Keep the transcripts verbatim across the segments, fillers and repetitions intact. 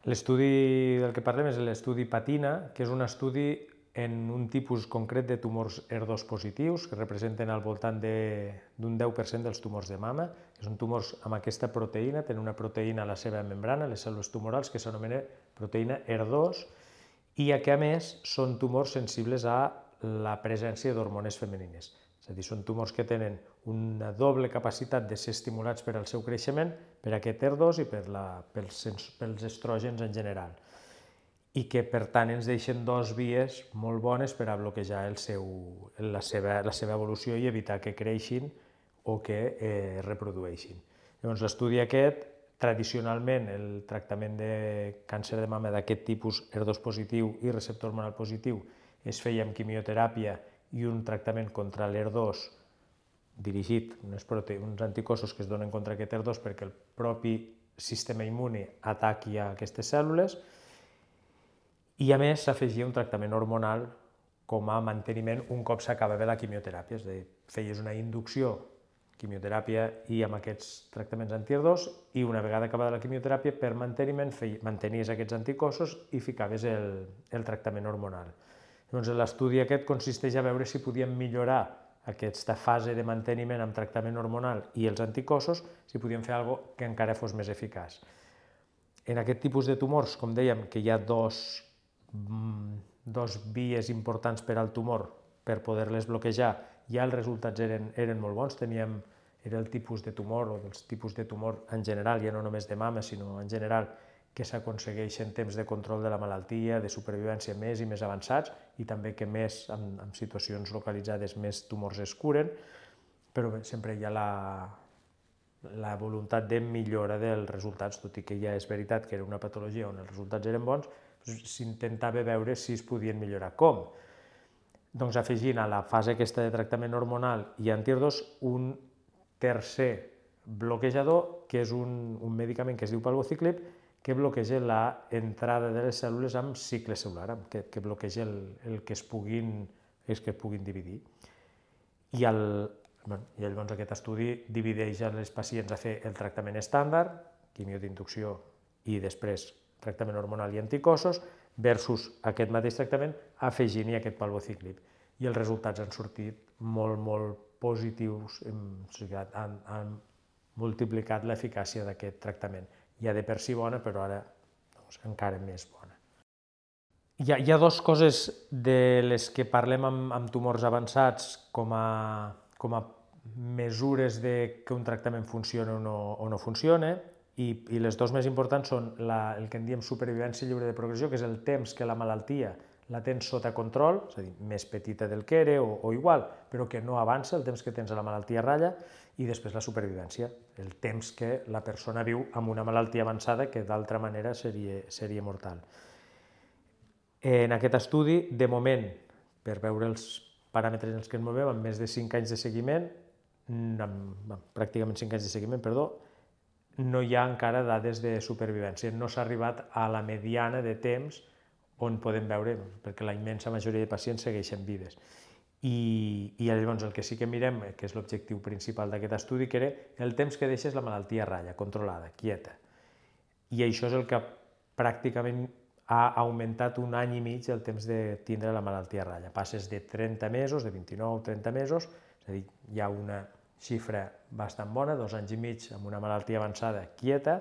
L'estudi del que parlem és l'estudi PATINA, que és un estudi en un tipus concret de tumors E R dos positius, que representen al voltant d'un deu per cent dels tumors de mama. Són tumors amb aquesta proteïna, tenen una proteïna a la seva membrana, les cèl·lules tumorals, que s'anomena proteïna E R dos, i que a més són tumors sensibles a la presència d'hormones femenines. És a dir, són tumors que tenen una doble capacitat de ser estimulats per al seu creixement, per aquest E R dos i per la, pels, pels estrògens en general, i que per tant ens deixen dues vies molt bones per a bloquejar el seu, la, seva, la seva evolució i evitar que creixin o que eh, es reprodueixin. Llavors, l'estudi aquest, tradicionalment el tractament de càncer de mama d'aquest tipus E R dos positiu i receptor hormonal positiu es feia amb quimioteràpia i un tractament contra l'E R dos dirigit, unes, uns anticossos que es donen contra aquest E R dos perquè el propi sistema immune ataqui a aquestes cèl·lules, i a més s'afegia un tractament hormonal com a manteniment un cop s'acabava la quimioteràpia, és a dir, feies una inducció, quimioteràpia i amb aquests tractaments anti-E R dos, i una vegada acabada la quimioteràpia, per manteniment, mantenies aquests anticossos i ficaves el, el tractament hormonal. Llavors, l'estudi aquest consisteix a veure si podíem millorar aquesta fase de manteniment amb tractament hormonal i els anticossos, si podíem fer alguna cosa que encara fos més eficaç. En aquest tipus de tumors, com dèiem, que hi ha dos, dos vies importants per al tumor per poder-les bloquejar, ja els resultats eren, eren molt bons, teníem, era el tipus de tumor o dels tipus de tumor en general, ja no només de mama, sinó en general, que s'aconsegueixen temps de control de la malaltia, de supervivència més i més avançats, i també que més, en, en situacions localitzades, més tumors es curen, però bé, sempre hi ha la, la voluntat de millora dels resultats, tot i que ja és veritat que era una patologia on els resultats eren bons, s'intentava veure si es podien millorar. Com? Doncs afegint a la fase aquesta de tractament hormonal i anti-E R dos un tercer bloquejador, que és un, un medicament que es diu palbociclib, que bloqueja l'entrada de les cèl·lules amb cicle cel·lular, que, que bloqueja el, el que es puguin, els que es puguin dividir. I, el, bueno, i llavors aquest estudi divideix els pacients a fer el tractament estàndard, quimio d'inducció i després tractament hormonal i anticossos, versus aquest mateix tractament afegint-hi aquest palbociclib. I els resultats han sortit molt, molt positius, han, han multiplicat l'eficàcia d'aquest tractament. Ja de per si bona, però ara doncs, encara més bona. Hi ha, hi ha dues coses de les que parlem amb, amb tumors avançats com a, com a mesures de que un tractament funciona o no, o no funciona, i, i les dues més importants són la, el que en diem supervivència lliure de progressió, que és el temps que la malaltia la tens sota control, és a dir, més petita del que era o, o igual, però que no avança, el temps que tens a la malaltia ratlla, i després la supervivència, el temps que la persona viu amb una malaltia avançada que d'altra manera seria, seria mortal. En aquest estudi, de moment, per veure els paràmetres en els que ens movem, amb més de cinc anys de seguiment, amb, pràcticament cinc anys de seguiment, perdó, no hi ha encara dades de supervivència, no s'ha arribat a la mediana de temps on podem veure, perquè la immensa majoria de pacients segueixen vives. I, i llavors el que sí que mirem, que és l'objectiu principal d'aquest estudi, que era el temps que deixes la malaltia a ratlla, controlada, quieta. I això és el que pràcticament ha augmentat un any i mig el temps de tindre la malaltia a ratlla. Passes de trenta mesos, de vint-i-nou a trenta mesos, és a dir, hi ha una xifra bastant bona, dos anys i mig amb una malaltia avançada quieta,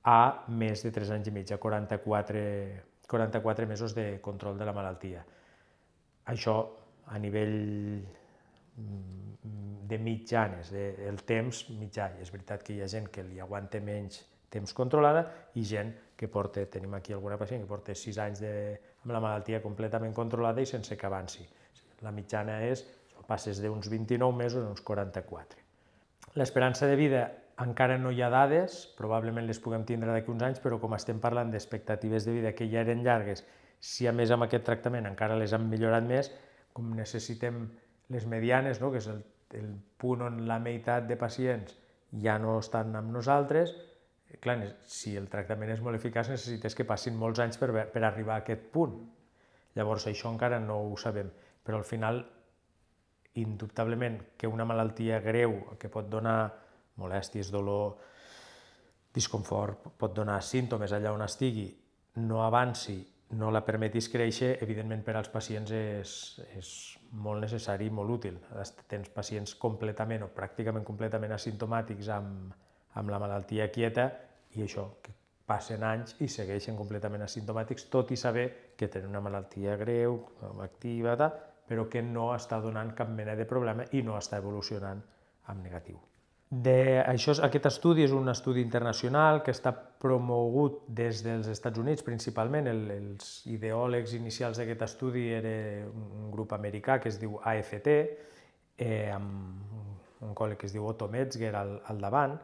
a més de tres anys i mig, a quaranta-quatre, quaranta-quatre mesos de control de la malaltia. Això a nivell de mitjanes, el temps mitjà. És veritat que hi ha gent que li aguanta menys temps controlada i gent que porta, tenim aquí alguna pacient que porta sis anys de, amb la malaltia completament controlada i sense que avanci. La mitjana és, passes d'uns vint-i-nou mesos a uns quaranta-quatre. L'esperança de vida encara no hi ha dades, probablement les puguem tindre d'aquí uns anys, però com estem parlant d'expectatives de vida que ja eren llargues, si a més amb aquest tractament encara les han millorat més, com necessitem les medianes, no? Que és el, el punt on la meitat de pacients ja no estan amb nosaltres, clar, si el tractament és molt eficaç necessites que passin molts anys per, per arribar a aquest punt. Llavors això encara no ho sabem, però al final, indubtablement, que una malaltia greu que pot donar molèsties, dolor, disconfort, pot donar símptomes allà on estigui no avanci, no la permetis créixer, evidentment per als pacients és, és molt necessari i molt útil. Tens pacients completament o pràcticament completament asimptomàtics amb, amb la malaltia quieta i això, que passen anys i segueixen completament asimptomàtics, tot i saber que tenen una malaltia greu, activa, però que no està donant cap mena de problema i no està evolucionant en negatiu. De, això, aquest estudi és un estudi internacional que està promogut des dels Estats Units principalment. El, els ideòlegs inicials d'aquest estudi era un grup americà que es diu A F T, eh, amb un col·leg que es diu Otto Metzger al, al davant,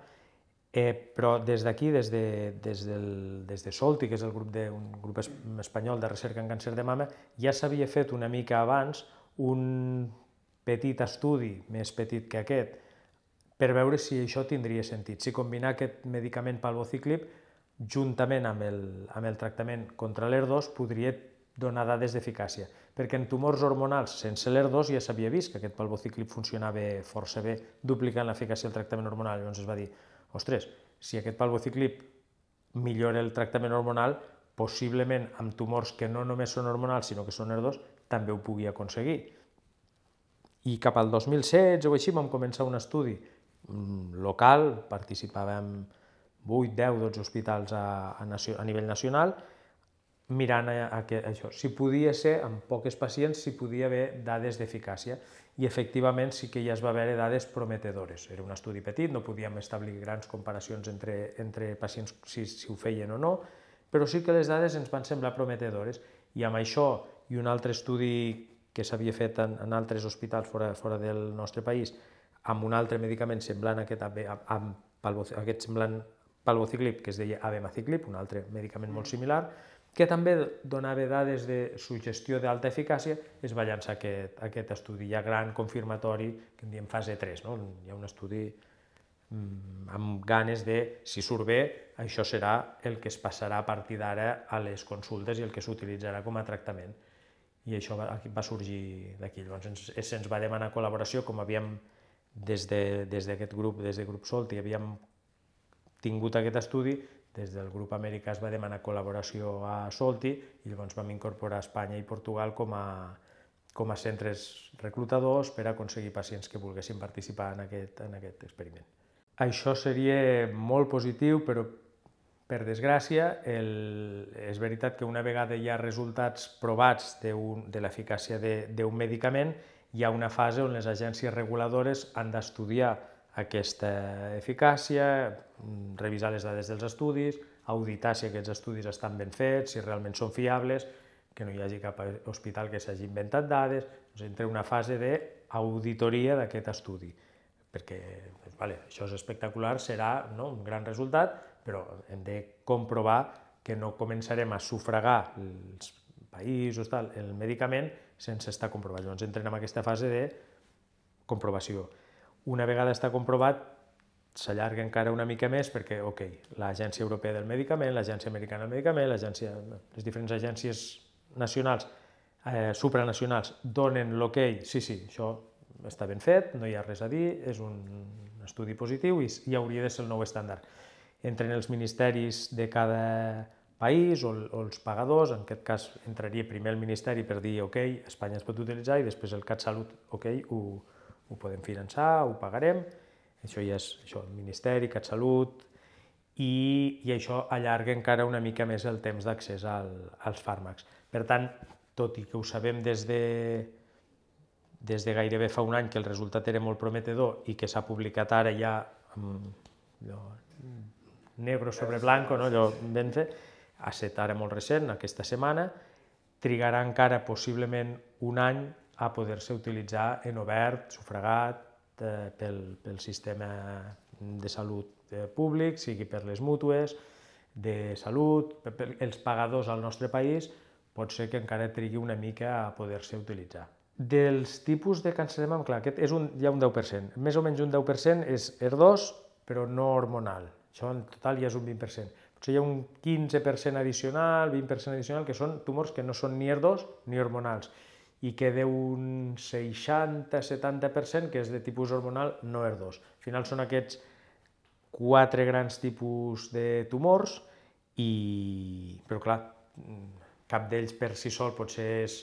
eh, però des d'aquí, des, de, des, del, des de Solti, que és el grup de, un grup espanyol de recerca en càncer de mama, ja s'havia fet una mica abans un petit estudi, més petit que aquest, per veure si això tindria sentit, si combinar aquest medicament palbociclib juntament amb el, amb el tractament contra l'E R dos podria donar dades d'eficàcia, perquè en tumors hormonals sense l'E R dos ja s'havia vist que aquest palbociclib funcionava força bé duplicant l'eficàcia del tractament hormonal. Llavors es va dir, ostres, si aquest palbociclib millora el tractament hormonal, possiblement amb tumors que no només són hormonals sinó que són E R dos també ho pugui aconseguir. I cap al dos mil setze o així vam començar un estudi local, participàvem vuit, deu, dotze hospitals a, a, a nivell nacional, mirant a, a, a això, si podia ser, amb poques pacients, si podia haver dades d'eficàcia. I efectivament sí que ja es va veure dades prometedores. Era un estudi petit, no podíem establir grans comparacions entre, entre pacients si, si ho feien o no, però sí que les dades ens van semblar prometedores. I amb això i un altre estudi que s'havia fet en, en altres hospitals fora, fora del nostre país, amb un altre medicament semblant a aquest, amb aquest semblant palbociclib, que es deia abemaciclib, un altre medicament molt similar, que també donava dades de suggestió d'alta eficàcia, es va llançar aquest, aquest estudi ja gran, confirmatori, que en diem fase tres. No? Hi ha un estudi mmm, amb ganes de, si surt bé, això serà el que es passarà a partir d'ara a les consultes i el que s'utilitzarà com a tractament. I això va, va sorgir d'aquí. Llavors ens, se'ns va demanar col·laboració, com havíem des d'aquest grup, des del grup Solti, havíem tingut aquest estudi, des del grup americà es va demanar col·laboració a Solti i llavors vam incorporar Espanya i Portugal com a, com a centres reclutadors per aconseguir pacients que volguessin participar en aquest, en aquest experiment. Això seria molt positiu, però per desgràcia, el, és veritat que una vegada hi ha resultats provats de, un, de l'eficàcia d'un medicament, hi ha una fase on les agències reguladores han d'estudiar aquesta eficàcia, revisar les dades dels estudis, auditar si aquests estudis estan ben fets, si realment són fiables, que no hi hagi cap hospital que s'hagi inventat dades. Doncs entra una fase d'auditoria d'aquest estudi, perquè vale, això és espectacular, serà no, un gran resultat, però hem de comprovar que no començarem a sufragar els països, tal, el medicament, sense estar comprovat. Llavors entrem en aquesta fase de comprovació. Una vegada està comprovat, s'allarga encara una mica més perquè, ok, l'Agència Europea del Medicament, l'Agència Americana del Medicament, les diferents agències nacionals, eh, supranacionals, donen l'ok, sí, sí, això està ben fet, no hi ha res a dir, és un estudi positiu i, i hauria de ser el nou estàndard. Entren els ministeris de cada país o, o els pagadors, en aquest cas entraria primer el Ministeri per dir ok, Espanya es pot utilitzar i després el CatSalut, ok, ho, ho podem finançar, ho pagarem, això ja és això, el Ministeri, CatSalut, i, i això allarga encara una mica més el temps d'accés al, als fàrmacs. Per tant, tot i que ho sabem des de, des de gairebé fa un any que el resultat era molt prometedor i que s'ha publicat ara ja allò, negro sobre blanco, no? Allò ben fet, ha estat ara molt recent, aquesta setmana, trigarà encara possiblement un any a poder-se utilitzar en obert, sufragat, eh, pel, pel sistema de salut eh, públic, sigui per les mútues, de salut, per, per els pagadors al nostre país, pot ser que encara trigui una mica a poder-se utilitzar. Dels tipus de càncer de mama, clar, aquest és un, hi ha un deu per cent, més o menys un deu per cent és E R dos, però no hormonal, això en total ja és un vint per cent. Potser hi ha un quinze per cent addicional, vint per cent addicional, que són tumors que no són ni E R dos ni hormonals, i que d'un seixanta a setanta per cent que és de tipus hormonal no E R dos. Al final són aquests quatre grans tipus de tumors, i... però clar, cap d'ells per si sol potser és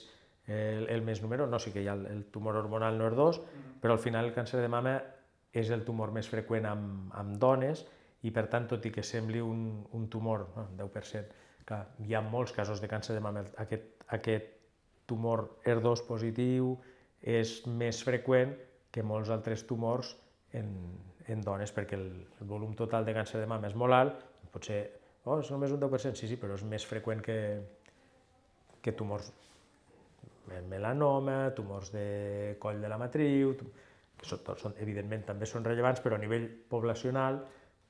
el, el més número, no, sí que hi ha el, el tumor hormonal N O R dos, però al final el càncer de mama és el tumor més freqüent amb, amb dones i per tant, tot i que sembli un, un tumor, no, deu per cent, clar, hi ha molts casos de càncer de mama, aquest, aquest tumor E R dos positiu és més freqüent que molts altres tumors en, en dones, perquè el, el volum total de càncer de mama és molt alt, potser, oh, és només un deu per cent, sí, sí, però és més freqüent que, que tumors melanoma, tumors de coll de la matriu, que són, són, evidentment també són rellevants, però a nivell poblacional,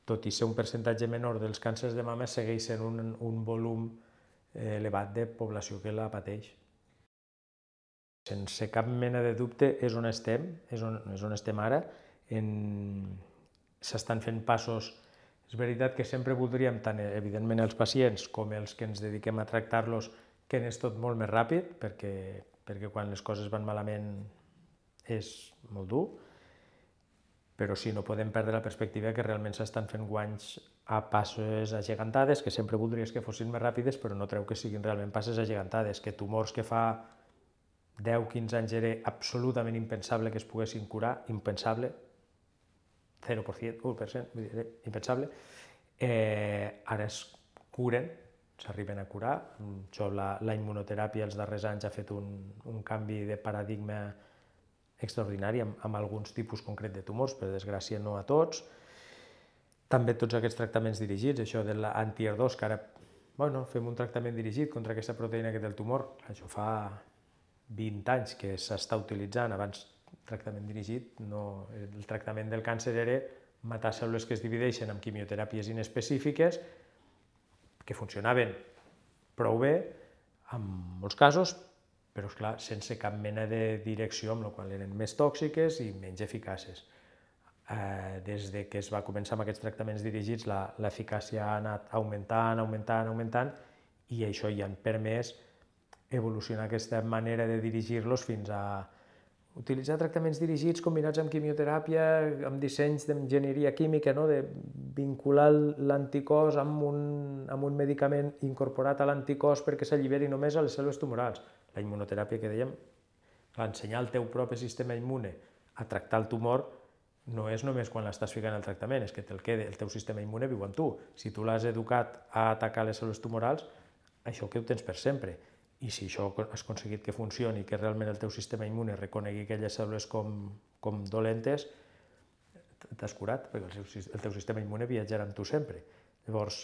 tot i ser un percentatge menor dels càncers de mama, segueix sent un, un volum elevat de població que la pateix. Sense cap mena de dubte és on estem, és on, és on estem ara. S'estan fent passos. És veritat que sempre voldríem, tant evidentment els pacients com els que ens dediquem a tractar-los, que anés tot molt més ràpid, perquè, perquè quan les coses van malament és molt dur, però sí, no podem perdre la perspectiva que realment s'estan fent guanys a passes agegantades, que sempre voldries que fossin més ràpides, però no treu que siguin realment passes agegantades, que tumors que fa deu quinze anys era absolutament impensable que es poguessin curar, impensable, zero per cent, u per cent, impensable, eh, ara es curen, s'arriben a curar. Això, la, la immunoteràpia els darrers anys ha fet un, un canvi de paradigma extraordinari amb, amb alguns tipus concret de tumors, per desgràcia no a tots. També tots aquests tractaments dirigits, això de l'anti-E R dos, que ara bueno, fem un tractament dirigit contra aquesta proteïna que té el tumor, això fa vint anys que s'està utilitzant, abans tractament dirigit, no, el tractament del càncer era matar cèl·lules que es divideixen amb quimioteràpies inespecífiques, que funcionaven prou bé en molts casos, però esclar, sense cap mena de direcció, amb la qual eren més tòxiques i menys eficaces. Eh, des de que es va començar amb aquests tractaments dirigits, l'eficàcia ha anat augmentant, augmentant, augmentant, i això ja han permès evolucionar aquesta manera de dirigir-los fins a utilitzar tractaments dirigits combinats amb quimioteràpia, amb dissenys d'enginyeria química, no? De vincular l'anticòs amb, un, amb un medicament incorporat a l'anticòs perquè s'alliberi només a les cèl·lules tumorals. La immunoteràpia que dèiem, clar, ensenyar al teu propi sistema immune a tractar el tumor no és només quan l'estàs ficant al tractament, és que te'l queda, el teu sistema immune viu amb tu. Si tu l'has educat a atacar les cèl·lules tumorals, això que ho tens per sempre. I si això has aconseguit que funcioni, que realment el teu sistema immune reconegui aquelles cèl·lules com, com dolentes, t'has curat, perquè el, seu, el teu sistema immune viatjarà amb tu sempre. Llavors,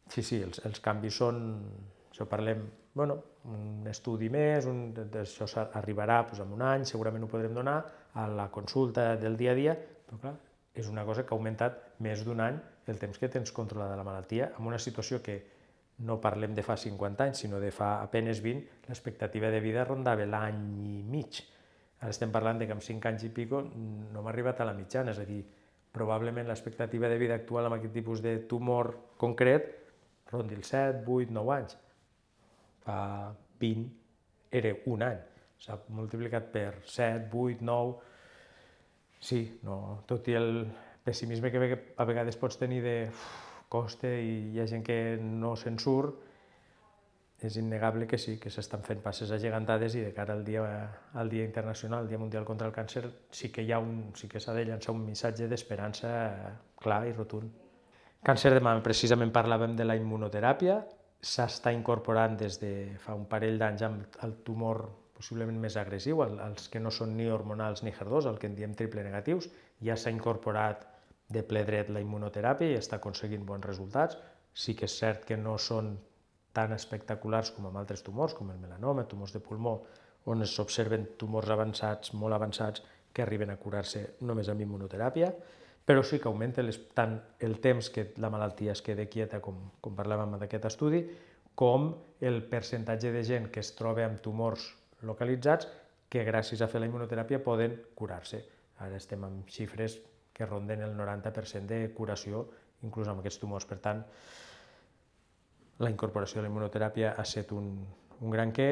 sí, sí, els, els canvis són, això parlem, bueno, un estudi més, un, això arribarà doncs, en un any, segurament ho podrem donar a la consulta del dia a dia, però clar, és una cosa que ha augmentat més d'un any el temps que tens controlada la malaltia, en una situació que no parlem de fa cinquanta anys, sinó de fa apenes vint, l'expectativa de vida rondava l'any i mig. Ara estem parlant de que amb cinc anys i pico no hem arribat a la mitjana, és a dir, probablement l'expectativa de vida actual amb aquest tipus de tumor concret rondi els set, vuit, nou anys. Fa vint era un any, s'ha multiplicat per set, vuit, nou... Sí, no, tot i el pessimisme que a vegades pots tenir de costa i hi ha gent que no se'n surt, és innegable que sí, que s'estan fent passes agegantades i de cara al dia, al dia internacional, al Dia Mundial contra el Càncer, sí que hi ha un, sí que s'ha de llançar un missatge d'esperança clar i rotund. Càncer de mama, precisament parlàvem de la immunoteràpia, s'està incorporant des de fa un parell d'anys amb el tumor possiblement més agressiu, els que no són ni hormonals ni H E R dos, el que en diem triple negatius, ja s'ha incorporat de ple dret la immunoteràpia i està aconseguint bons resultats. Sí que és cert que no són tan espectaculars com amb altres tumors, com el melanoma, tumors de pulmó, on s'observen tumors avançats, molt avançats, que arriben a curar-se només amb immunoteràpia, però sí que augmenta les, tant el temps que la malaltia es queda quieta, com, com parlàvem d'aquest estudi, com el percentatge de gent que es troba amb tumors localitzats que gràcies a fer la immunoteràpia poden curar-se. Ara estem amb xifres que ronden el noranta per cent de curació, inclús amb aquests tumors. Per tant, la incorporació de la immunoteràpia ha estat un, un gran què.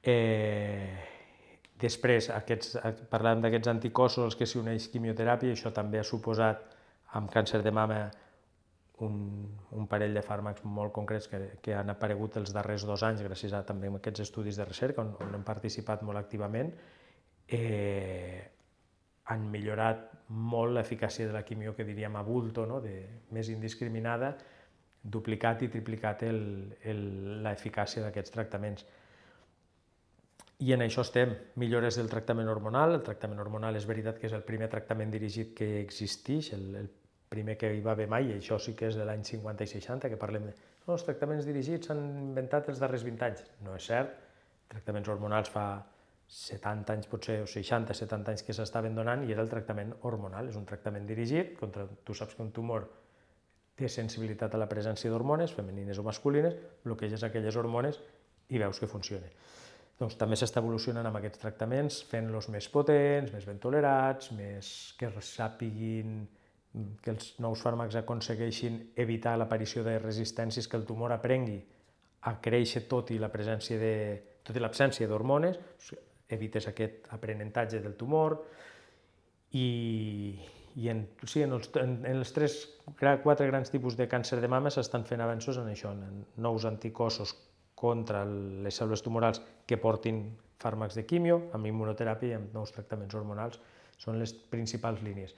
Eh, després, aquests, parlàvem d'aquests anticossos als que s'uneix quimioteràpia, i això també ha suposat, amb càncer de mama, un, un parell de fàrmacs molt concrets que, que han aparegut els darrers dos anys gràcies a també a aquests estudis de recerca on, on hem participat molt activament, eh, han millorat molt l'eficàcia de la quimio, que diríem a bulto, no? de, més indiscriminada, duplicat i triplicat l'eficàcia d'aquests tractaments. I en això estem, millores del tractament hormonal. El tractament hormonal és veritat que és el primer tractament dirigit que existeix, el, el primer que hi va haver mai, i això sí que és de l'any cinquanta i seixanta, que parlem de no, els tractaments dirigits s'han inventat els darrers vint anys. No és cert, tractaments hormonals fa setanta anys, potser, o seixanta, setanta anys que s'estaven donant, i era el tractament hormonal, és un tractament dirigit contra, tu saps que un tumor té sensibilitat a la presència d'hormones, femenines o masculines, bloqueges aquelles hormones i veus que funciona. Doncs també s'està evolucionant amb aquests tractaments, fent-los més potents, més ben tolerats, més que sàpiguin, que els nous fàrmacs aconsegueixin evitar l'aparició de resistències, que el tumor aprengui a créixer tot i la presència de, tot i l'absència d'hormones, evites aquest aprenentatge del tumor, i, i en, sí, en, els, en, en els tres, quatre grans tipus de càncer de mama s'estan fent avenços en això, en nous anticossos contra les cèl·lules tumorals que portin fàrmacs de quimio, amb immunoteràpia i amb nous tractaments hormonals. Són les principals línies.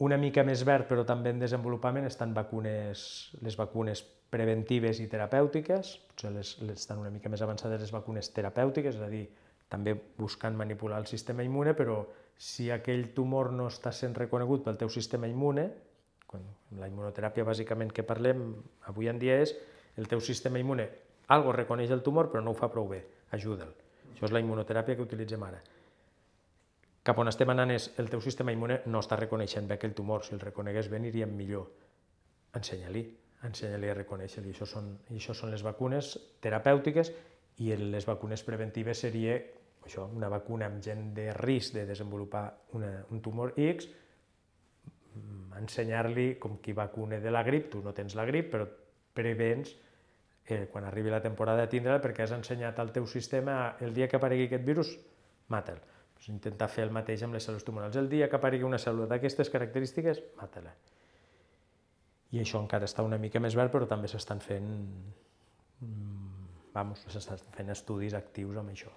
Una mica més verd, però també en desenvolupament, estan vacunes, les vacunes preventives i terapèutiques, potser les, les estan una mica més avançades les vacunes terapèutiques, és a dir, també buscant manipular el sistema immune, però si aquell tumor no està sent reconegut pel teu sistema immune, quan la immunoteràpia bàsicament que parlem avui en dia és el teu sistema immune, algo reconeix el tumor però no ho fa prou bé, ajuda'l. Això és la immunoteràpia que utilitzem ara. Cap on estem anant és el teu sistema immune no està reconeixent bé aquell tumor, si el reconegués bé aniríem millor. Ensenya-li, ensenya-li a reconèixer-li. Això són, això són les vacunes terapèutiques, i les vacunes preventives seria això, una vacuna amb gent de risc de desenvolupar una, un tumor X, ensenyar-li com qui vacuna de la grip, tu no tens la grip, però prevens eh, quan arribi la temporada de tindre-la perquè has ensenyat al teu sistema el dia que aparegui aquest virus, mata'l. Pues intentar fer el mateix amb les cèl·lules tumorals. El dia que aparegui una cèl·lula d'aquestes característiques, mata-la. I això encara està una mica més verd, però també s'estan fent, vamos, s'estan fent estudis actius amb això.